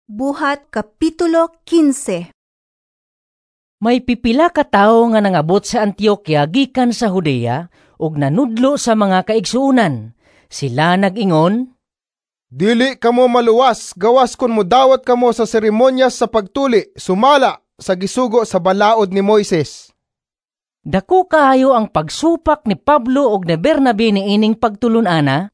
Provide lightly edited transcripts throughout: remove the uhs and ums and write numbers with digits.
Buhat Kapitulo 15. May pipila ka tawo nga nangabot sa Antioquia gikan sa Judea ug nanudlo sa mga kaigsuonan. Sila nag-ingon, "Dili kamo maluwas gawas kon modawat kamo sa seremonyas sa pagtuli sumala sa gisugo sa balaod ni Moises." Dako kaayo ang pagsupak ni Pablo ug ni Bernabe niining pagtulon-ana.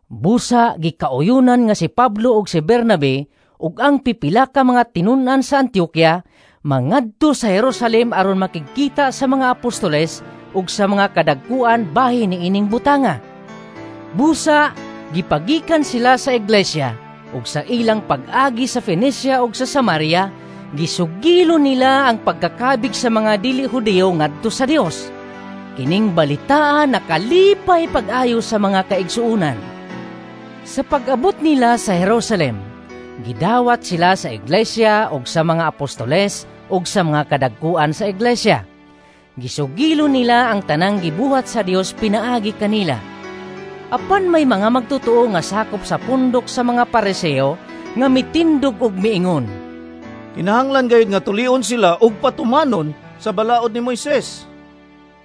Busa gikauyunan nga si Pablo ug si Bernabe ug ang pipila ka mga tinun-an sa Antioquia mangadto sa Jerusalem aron makigkita sa mga apostoles ug sa mga kadagkuan bahin niining butanga. Busa gipagikan sila sa iglesia ug sa ilang pag-agi sa Fenicia ug sa Samaria, gisugilo nila ang pagkakabig sa mga dili Hudiyo ngadto sa Dios. Kining balitaa nakalipay pag-ayo sa mga kaigsuonan. Sa pag-abot nila sa Jerusalem, gidawat sila sa iglesia ug sa mga apostoles ug sa mga kadagkuan sa iglesia. Gisugilo nila ang tanang gibuhat sa Dios pinaagi kanila. Apan may mga magtotoo nga sakop sa pundok sa mga Pariseo nga mitindog og miingon, "Kinahanglan gayud nga tulion sila og patumanon sa balaod ni Moises."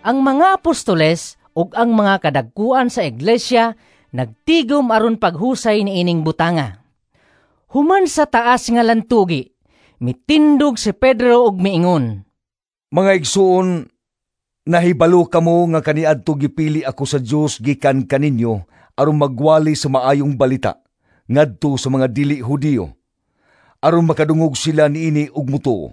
Ang mga apostoles ug ang mga kadagkuan sa iglesia nagtigom aron paghusay niining butanga. Human sa taas nga lantugi, mitindog si Pedro og miingon, "Mga igsuon, nahibalo kamo nga kaniadto gipili ako sa Dios gikan kaninyo aron magwali sa maayong balita ngadto sa mga dili Hudiyo, aron makadungog sila niini ug mutuo.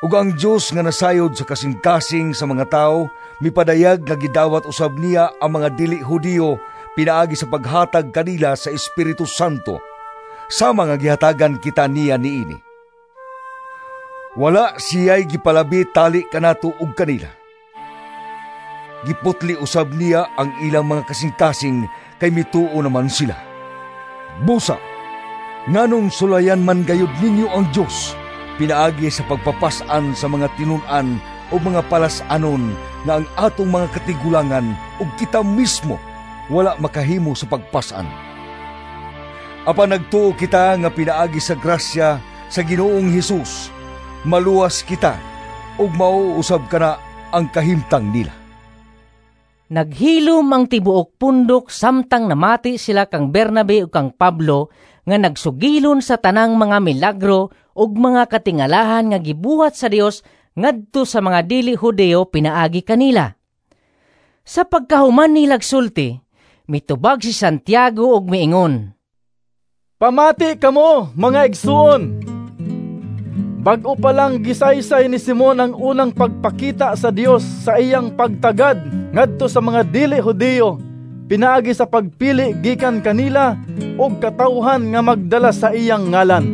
Ug ang Dios nga nasayod sa kasing-kasing sa mga tawo mipadayag nga gidawat usab niya ang mga dili Hudiyo pinaagi sa paghatag kanila sa Espiritu Santo, sama nga gihatagan kita niya niini. Wala siya'y gipalabi tali kanato ug kanila. Giputli usab niya ang ilang mga kasing-kasing kay mituo naman sila. Busa, nganong sulayan man gayud ninyo ang Dios pinaagi sa pagpapas-an sa mga tinun-an o mga palas-anon nga ang atong mga katigulangan ug kita mismo wala makahimo sa pagpas-an? Apan nagtuo kita nga pinaagi sa grasya sa Ginoong Hesus, maluwas kita ug mauusab kana ang kahimtang nila." Naghilom ang tibuok pundok samtang namati sila kang Bernabe ug kang Pablo nga nagsugilon sa tanang mga milagro ug mga katingalahan nga gibuhat sa Dios ngadto sa mga dili Hudiyo pinaagi kanila. Sa pagkahuman nilag sulti, mitubag si Santiago ug miingon, "Pamati kamo, mga igsuon! Bag-o pa lang gisaysay ni Simon ang unang pagpakita sa Dios sa iyang pagtagad ngadto sa mga dili Hudiyo pinaagi sa pagpili gikan kanila og katawhan nga magdala sa iyang ngalan.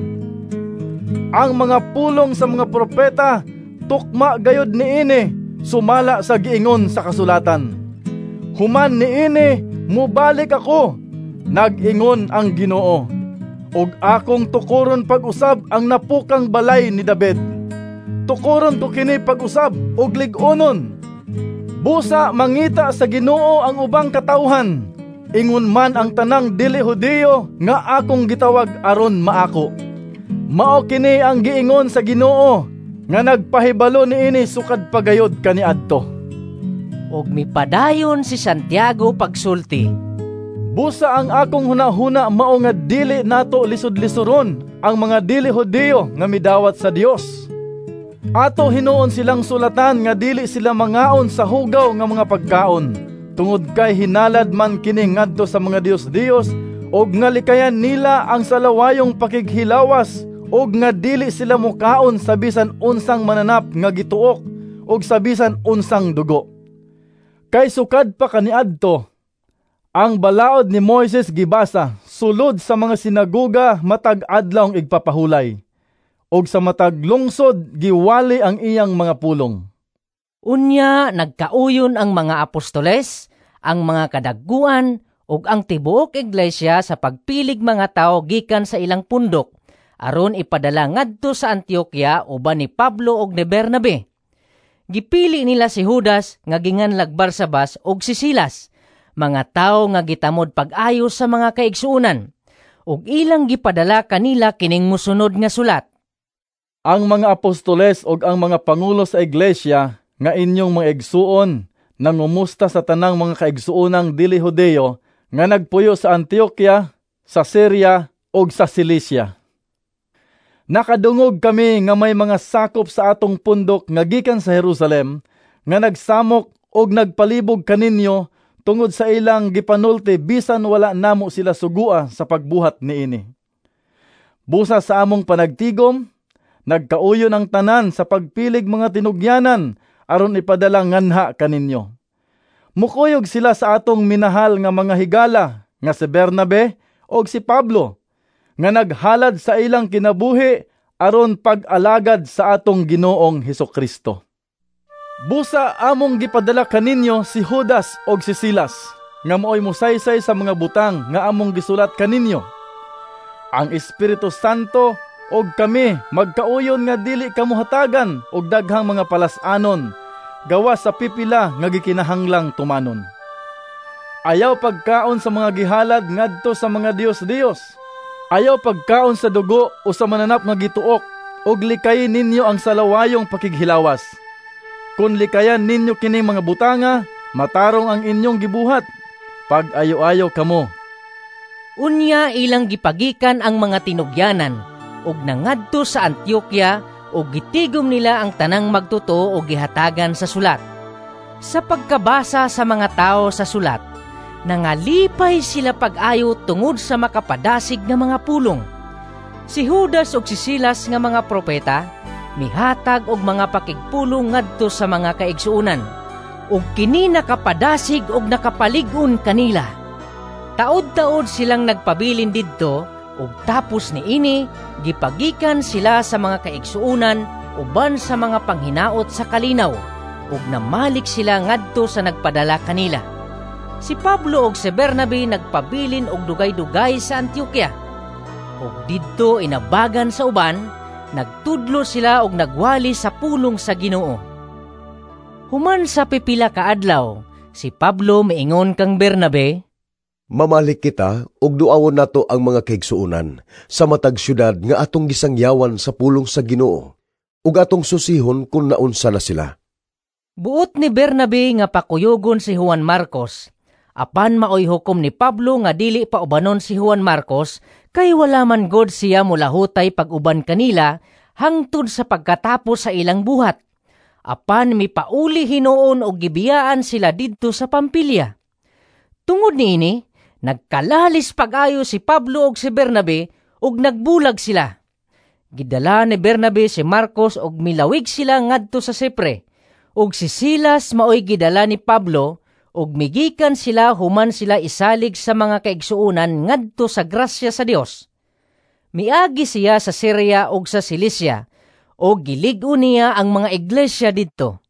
Ang mga pulong sa mga propeta tukma gayud niini sumala sa giingon sa kasulatan. Human niini mobalik ako, nag-ingon ang Ginoo, ug akong tukoron pag-usab ang napukang balay ni David. Tukoron ko kini pag-usab ug lig-onon. Busa mangita sa Ginoo ang ubang katawhan, ingon man ang tanang dili Hudiyo nga akong gitawag aron maako. Mao kini ang giingon sa Ginoo nga nagpahibalo niini sukad pagayod kaniadto." Ug mipadayon si Santiago pagsulti, "Busa ang akong hunahuna mao nga dili nato lisod-lisoron ang mga dili Hudiyo nga midawat sa Dios. Ato hinuon silang sulatan nga dili sila mangaon sa hugaw nga mga pagkaon, tungod kay hinalad man kini ngadto sa mga dios-dios, ug nga likayan nila ang salawayong pakighilawas, ug nga dili sila mukaon sa bisan unsang mananap nga gituok ug sa bisan unsang dugo. Kay sukad pa kaniadto, ang balaod ni Moises gibasa sulod sa mga sinagoga matag adlaw igpapahulay, ug sa matag lungsod giwali ang iyang mga pulong." Unya nagkauyon ang mga apostoles, ang mga kadagkuan ug ang tibuok iglesia sa pagpilig mga tawo gikan sa ilang pundok aron ipadala ngadto sa Antioquia uban ni Pablo ug ni Bernabe. Gipili nila si Judas nga ginganlag Barsabas ug si Silas, mga tawo nga gitamod pag-ayo sa mga kaigsuonan. Ug ilang gipadala kanila kining mosunod nga sulat. Ang mga apostoles ug ang mga pangulo sa iglesia nga inyong mga igsuon nangumusta sa tanang mga kaigsuonang dili Hudeyo nga nagpuyo sa Antioquia, sa Syria ug sa Cilicia. Nakadungog kami nga may mga sakop sa atong pundok nga gikan sa Jerusalem nga nagsamok og nagpalibog kaninyo tungod sa ilang gipanulti bisan wala namo sila sugua sa pagbuhat niini. Busa sa among panagtigom, nagkauyon ang tanan sa pagpilig mga tinugyanan aron ipadala nganha kaninyo. Mukuyog sila sa atong minahal nga mga higala nga si Bernabe og si Pablo nga naghalad sa ilang kinabuhi aron pag-alagad sa atong Ginoong Hesukristo. Busa among gipadala kaninyo si Judas og si Silas nga maoy mosaysay sa mga butang nga among gisulat kaninyo. Ang Espiritu Santo og kami magkauyon nga dili kamo hatagan og daghang mga palas-anon gawas sa pipila nga gikinahanglang tumanon. Ayaw pagkaon sa mga gihalad ngadto sa mga dios-dios. Ayaw pagkaon sa dugo o sa mananap nga gituok, og likayin ninyo ang salawayong pakighilawas. Kun likayan ninyo kining mga butanga, matarong ang inyong gibuhat. Pag-ayo-ayo kamo. Unya ilang gipagikan ang mga tinugyanan ug nangadto sa Antioquia ug gitigom nila ang tanang magtotoo og gihatagan sa sulat. Sa pagkabasa sa mga tawo sa sulat, nangalipay sila pag-ayo tungod sa makapadasig nga mga pulong. Si Judas ug si Silas nga mga propeta mihatag og mga pakigpulong ngadto sa mga kaigsuonan, ug kini nakapadasig og nakapalig-on kanila. Taod-taod silang nagpabilin didto, ug tapos niini gipagikan sila sa mga kaigsuonan uban sa mga panghinaot sa kalinaw, ug namalik sila ngadto sa nagpadala kanila. Si Pablo ug si Bernabe nagpabilin og dugay-dugay sa Antioquia. Ug didto inabagan sa uban, nagtudlo sila og nagwali sa pulong sa Ginoo. Human sa pipila ka adlaw, si Pablo miingon kang Bernabe, "Mamalik kita ug duawon nato ang mga kaigsuonan sa matag syudad nga atong gisangyawan sa pulong sa Ginoo ug atong susihon kun naunsa na sila." Buot ni Bernabe nga pakuyugon si Juan Marcos. Apan maoy hukom ni Pablo nga dili pa ubanon si Juan Marcos kay wala man god siya mulahutay pag-uban kanila hangtod sa pagkatapos sa ilang buhat. Apan mipauli hinuon og gibiyaan sila didto sa Pampilya. Tungod niini, nagkalalis pag-ayo si Pablo og si Bernabe ug nagbulag sila. Gidala ni Bernabe si Marcos og milawig sila ngadto sa Sipre. Ug si Silas maoy gidala ni Pablo ug migikan sila human sila isalig sa mga kaigsuonan ngadto sa grasya sa Dios. Miagi siya sa Syria ug sa Cilicia ug gilig-on niya ang mga iglesia didto.